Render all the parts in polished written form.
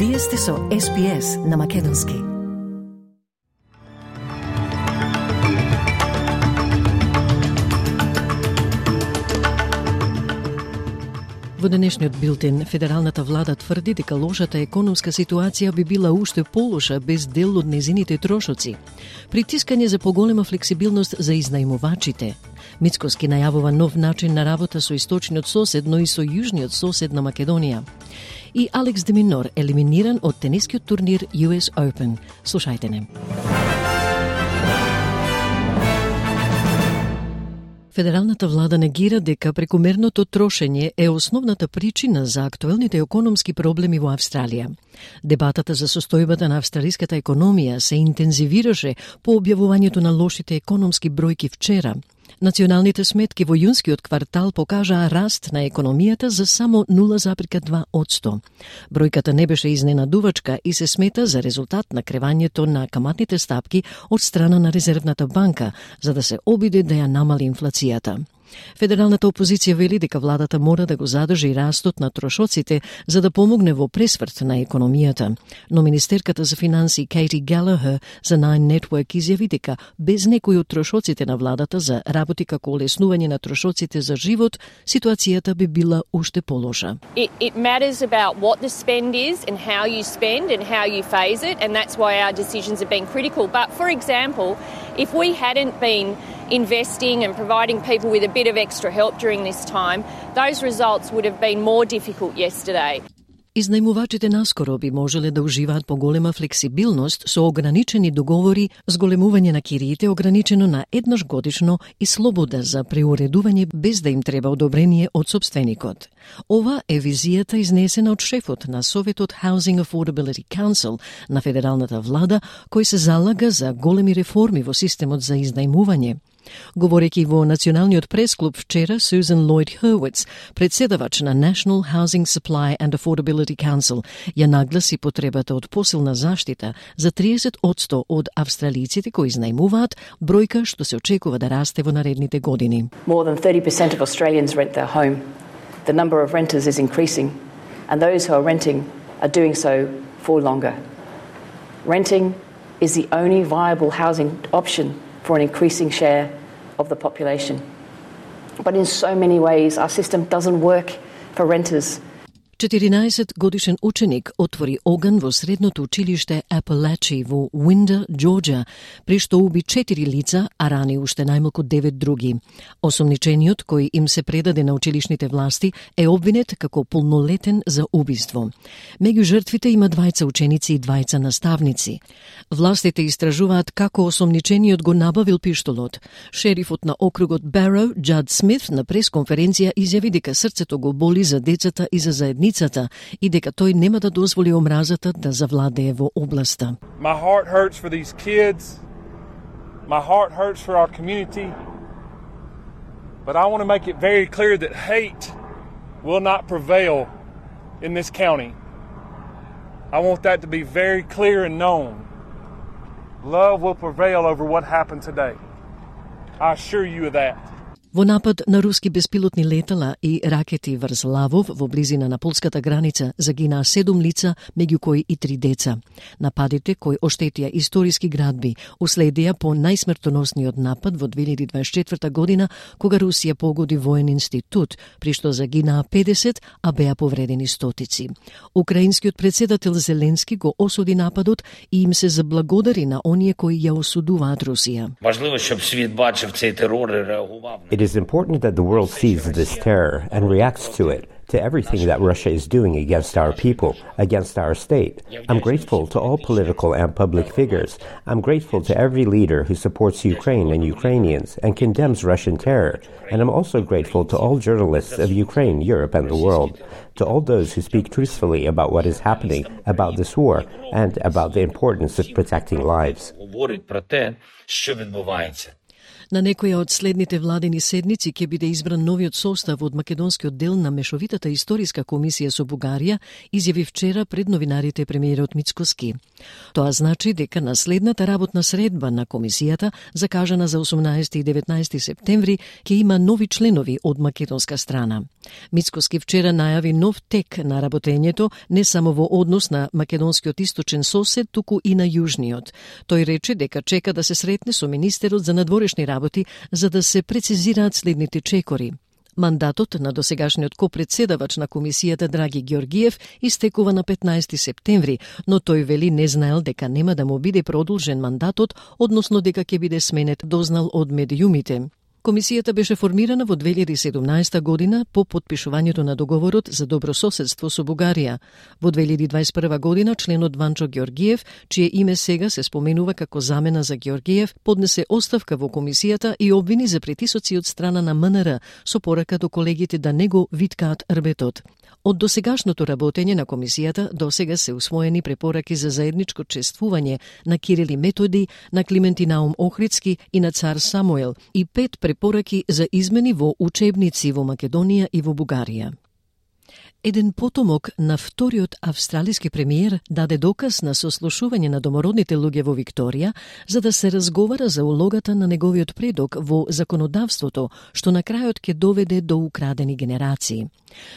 Вие сте со SPS на македонски. Во денешниот билтен, федералната влада тврди дека лошата економска ситуација би била уште полоша без дел од незините трошоци. Притискање за поголема флексибилност за изнајмувачите. Мицкоски најавува нов начин на работа со источниот сосед, но и со јужниот сосед на Македонија. И Алекс де Минор елиминиран од тенискиот турнир US Open. Слушајте не. Федералната влада негира дека прекомерното трошење е основната причина за актуелните економски проблеми во Австралија. Дебатата за состојбата на австралиската економија се интензивираше по објавувањето на лошите економски бројки вчера. Националните сметки во јунскиот квартал покажаа раст на економијата за само 0,2%. Бројката не беше изненадувачка и се смета за резултат на кревањето на каматните стапки од страна на Резервната банка, за да се обиде да ја намали инфлацијата. Федералната опозиција вели дека владата мора да го задржи растот на трошоците за да помогне во пресврт на економијата. Но министерката за финансии Кейти Галахер за Nine Network изјави дека без некои од трошоците на владата за работи како олеснување на трошоците за живот, ситуацијата би била уште полоша. It matters about what the spend is and how you spend and how you phase it, and that's why our decisions have been critical. But for example, if we hadn't been investing and providing people with a bit of extra help during this time, those results would have been more difficult yesterday. Изнајмувачите наскоро би можеле да уживаат поголема флексибилност со ограничени договори, зголемување на кириите ограничено на еднаш годишно и слобода за преуредување без да им треба одобрение од сопственикот. Ова е визијата изнесена од шефот на Советот Housing Affordability Council на федералната влада, кој се залага за големи реформи во системот за изнајмување. Говорејќи во Националниот пресклуб вчера, Susan Lloyd-Hurwitz, председавач на National Housing Supply and Affordability Council, ја нагласи потребата од посилна заштита за 30% од австралиците кои изнајмуваат, бројка што се очекува да расте во наредните години. More than 30% of Australians rent their home. The number of renters is increasing, and those who are renting are doing so for longer. Renting is the only viable housing option for an increasing share of the population. But in so many ways, our system doesn't work for renters. 14-годишен ученик отвори оган во средното училиште Апалачи во Уинда, Џорџија, при што уби 4 лица, а рани уште најмалку 9 други. Осомничениот, кој им се предаде на училишните власти, е обвинет како полнолетен за убиство. Меѓу жртвите има 2 ученици и 2 наставници. Властите истражуваат како осомничениот го набавил пиштолот. Шерифот на округот Бароу, Џад Смит, на пресконференција изјави дека срцето го боли за децата и за заедницата и дека тој нема да дозволи омразата да завладее во областа. My heart hurts for these kids. My heart hurts for our community. But I want to make it very clear that hate will not prevail in this county. I want that to be very clear and known. Love will prevail over what happened today. I assure you of that. Во напад на руски беспилотни летала и ракети врз Лавов во близина на полската граница загинаа 7 лица, меѓу кои и 3 деца. Нападите кои оштетија историски градби уследија по најсмртоносниот напад во 2024 година, кога Русија погоди воен институт, при што загинаа 50, а беа повредени стотици. Украинскиот председател Зеленски го осуди нападот и им се заблагодари на оние кои ја осудуваат Русија. Важливо щоб світ бачив цей терор і реагував. It is important that the world sees this terror and reacts to it, to everything that Russia is doing against our people, against our state. I'm grateful to all political and public figures. I'm grateful to every leader who supports Ukraine and Ukrainians and condemns Russian terror. And I'm also grateful to all journalists of Ukraine, Europe, and the world, to all those who speak truthfully about what is happening, about this war, and about the importance of protecting lives. На некоја од следните владени седници ќе биде избран новиот состав од македонскиот дел на Мешовитата историска комисија со Бугарија, изјави вчера пред новинарите премиерот Мицкоски. Тоа значи дека на следната работна средба на комисијата, закажана за 18 и 19 септември, ќе има нови членови од македонска страна. Мицкоски вчера најави нов тек на работењето не само во однос на македонскиот источен сосед, туку и на јужниот. Тој рече дека чека да се сретне со министерот за надворешни работи за да се прецизираат следните чекори. Мандатот на досегашниот копредседавач на комисијата Драги Георгиев истекува на 15 септември, но тој вели не знаел дека нема да му биде продолжен мандатот, односно дека ќе биде сменет, дознал од медиумите. Комисијата беше формирана во 2017 година по потпишувањето на договорот за добрососедство со Бугарија. Во 2021 година членот Ванчо Георгиев, чие име сега се споменува како замена за Георгиев, поднесе оставка во комисијата и обвини за притисоци од страна на МНР со порака до колегите да не го виткаат рбетот. Од досегашното работење на комисијата досега се усвоени препораки за заедничко чествување на Кирил и Методи, на Климент и Наум Охридски и на цар Самуел и 5 препораки за измени во учебници во Македонија и во Бугарија. Еден потомок на вториот австралиски премиер даде доказ на сослушување на домородните луѓе во Викторија за да се разговара за улогата на неговиот предок во законодавството, што на крајот ќе доведе до украдени генерации.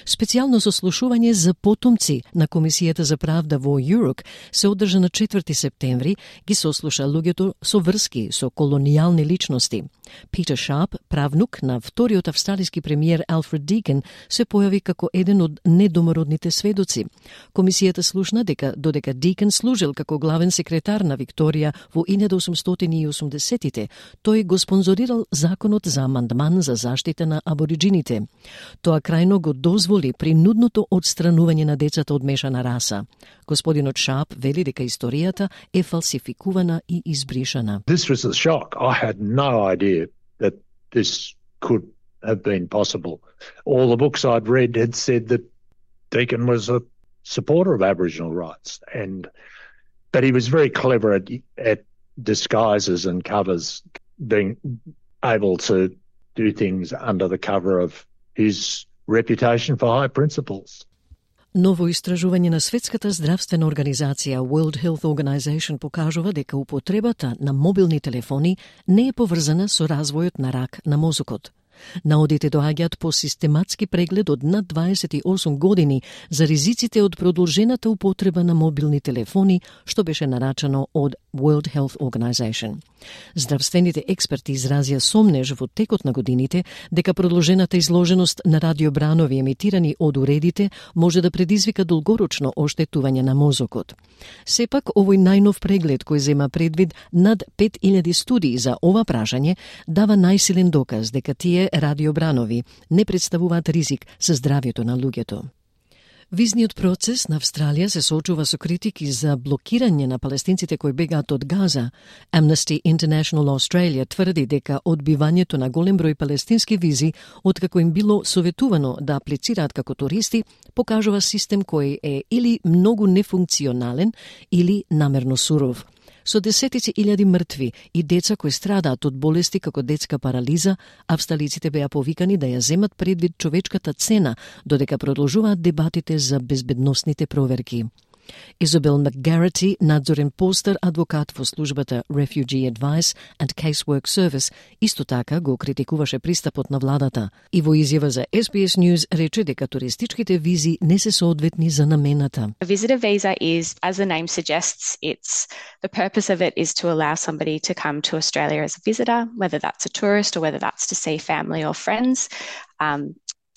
Специјално сослушување за потомци на Комисијата за правда во ЮРОК се одржа на 4 септември, ги сослуша луѓето со врски со колонијални личности. Питер Шарп, правнук на вториот австралиски премиер Алфред Дикен, се појави како еден од недомородните сведоци. Комисијата слушна дека додека Дикен служил како главен секретар на Викторија во 1880-тите, тој го спонзорирал законот за амандман за заштита на абориджините. Тоа крајно го дозволи принудното одстранување на децата од мешана раса. Господинот Шарп вели дека историјата е фалсификувана и избришана. This was a shock. I had no idea that this could have been possible. All the books I'd read had said that Deakin was a supporter of Aboriginal rights, but he was very clever at disguises and covers, being able to do things under the cover of his reputation for high principles. Ново истражување на Светската здравствена организација World Health Organization покажува дека употребата на мобилни телефони не е поврзана со развојот на рак на мозокот. Наодите доаѓаат по систематски преглед од над 28 години за ризиците од продолжената употреба на мобилни телефони, што беше нарачано од World Health Organization. Здравствените експерти изразија сомнеж во текот на годините дека продолжената изложеност на радиобранови емитирани од уредите може да предизвика долгорочно оштетување на мозокот. Сепак, овој најнов преглед кој зема предвид над 5000 студии за ова прашање дава најсилен доказ дека тие радиобранови не представуваат ризик за здравјето на луѓето. Визниот процес на Австралија се соочува со критики за блокирање на палестинците кои бегаат од Газа. Amnesty International Australia тврди дека одбивањето на голем број палестински визи, откако им било советувано да аплицираат како туристи, покажува систем кој е или многу нефункционален или намерно суров. Со десетици илјади мртви и деца кои страдаат од болести како детска парализа, австралиците беа повикани да ја земат предвид човечката цена, додека продолжуваат дебатите за безбедносните проверки. Изабел Макгарати, надзорен постер адвокат во службата Refugee Advice and Casework Service, исто така го критикуваше пристапот на владата и во изјава за SBS News рече дека туристичките визи не се соодветни за намената. A visitor visa is, as the name suggests, the purpose of it is to allow somebody to come to Australia as a visitor, whether that's a tourist or whether that's to see family or friends.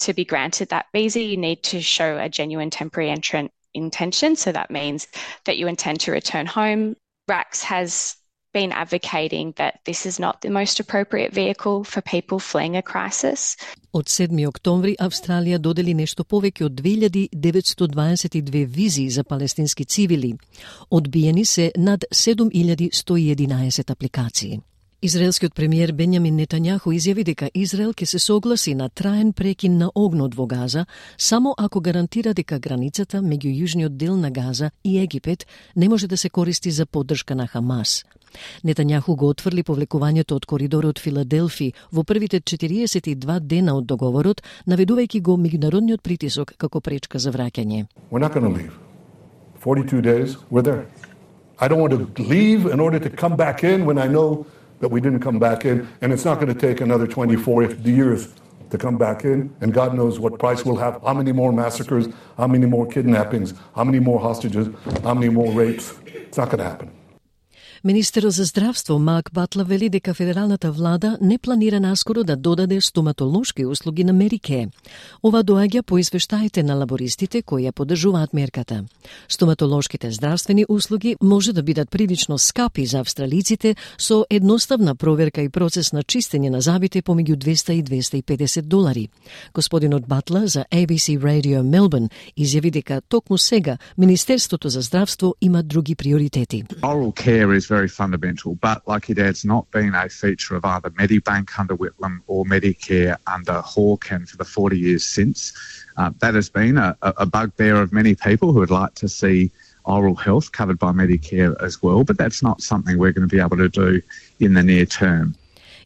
To be granted that visa, you need to show a genuine temporary intention, so that means that you intend to return home. RACS has been advocating that this is not the most appropriate vehicle for people fleeing a crisis. Од 7 октомври Австралија додели нешто повеќе од 2922 визи за палестински цивили. Одбиени се над 7111 апликации. Израелскиот премиер Бенјамин Нетањаху изјави дека Израел ќе се согласи на траен прекин на огнот во Газа само ако гарантира дека границата меѓу јужниот дел на Газа и Египет не може да се користи за поддршка на Хамас. Нетањаху го отфрли повлекувањето од коридорот Филаделфи во првите 42 дена од договорот, наведувајќи го меѓународниот притисок како пречка за враќање. We're not going to leave. 42 days, we're there. I don't want to leave in order to come back in when I know that we didn't come back in, and it's not going to take another 24 years to come back in, and God knows what price we'll have, how many more massacres, how many more kidnappings, how many more hostages, how many more rapes. It's not going to happen. Министерот за здравство Марк Батлер вели дека федералната влада не планира наскоро да додаде стоматолошки услуги на Медикеј. Ова доаѓа по извештаите на лабористите кои ја поддржуваат мерката. Стоматолошките здравствени услуги може да бидат прилично скапи за австралиците со едноставна проверка и процес на чистење на забите помеѓу $200 и $250. Господинот Батлер за ABC Radio Melbourne изјави дека токму сега Министерството за здравство има други приоритети. Oral care is very fundamental, but like your dad's not been a feature of either Medibank under Whitlam or Medicare under Hawke, and for the 40 years since. That has been a bugbear of many people who would like to see oral health covered by Medicare as well, but that's not something we're going to be able to do in the near term.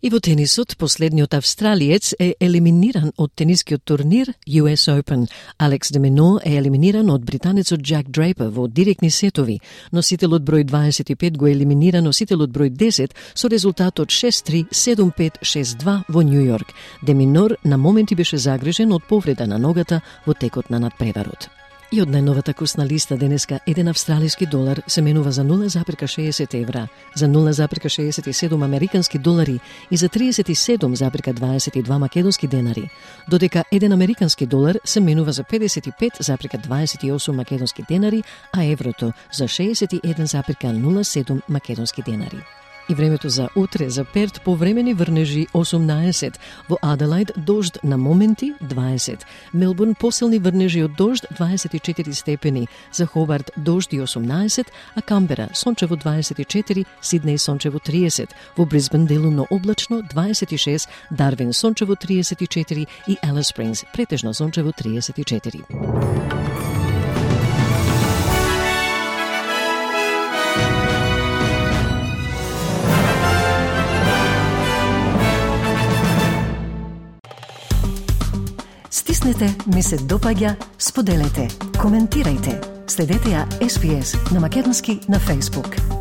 И во тенисот, последниот австралиец е елиминиран од тенискиот турнир US Open. Алекс де Мино е елиминиран од британецот Джак Дрейпер во директни сетови. Носителот број 25 го елиминира носителот број 10 со резултатот 6-3, 7-5, 6-2 во Нью Йорк. Де Минор на моменти беше загрижен од повреда на ногата во текот на надпреварот. И од најновата курсна листа денеска еден австралиски долар се менува за 0,60 евра, за 0,67 американски долари и за 37,22 македонски денари, додека еден американски долар се менува за 55,28 македонски денари, а еврото за 61,07 македонски денари. И времето за утре за Перт повремени врнежи 18, во Аделајд дожд на моменти 20, Мелбурн посилни врнежи од дожд 24 степени, за Хобарт дожд и 18, а Камбера сончево 24, Сиднеј сончево 30, во Брисбен делумно облачно 26, Дарвин сончево 34 и Алис Спрингс претежно сончево 34. Стиснете, ми се допаѓа, споделете, коментирајте. Следете ја SPS на македонски на Facebook.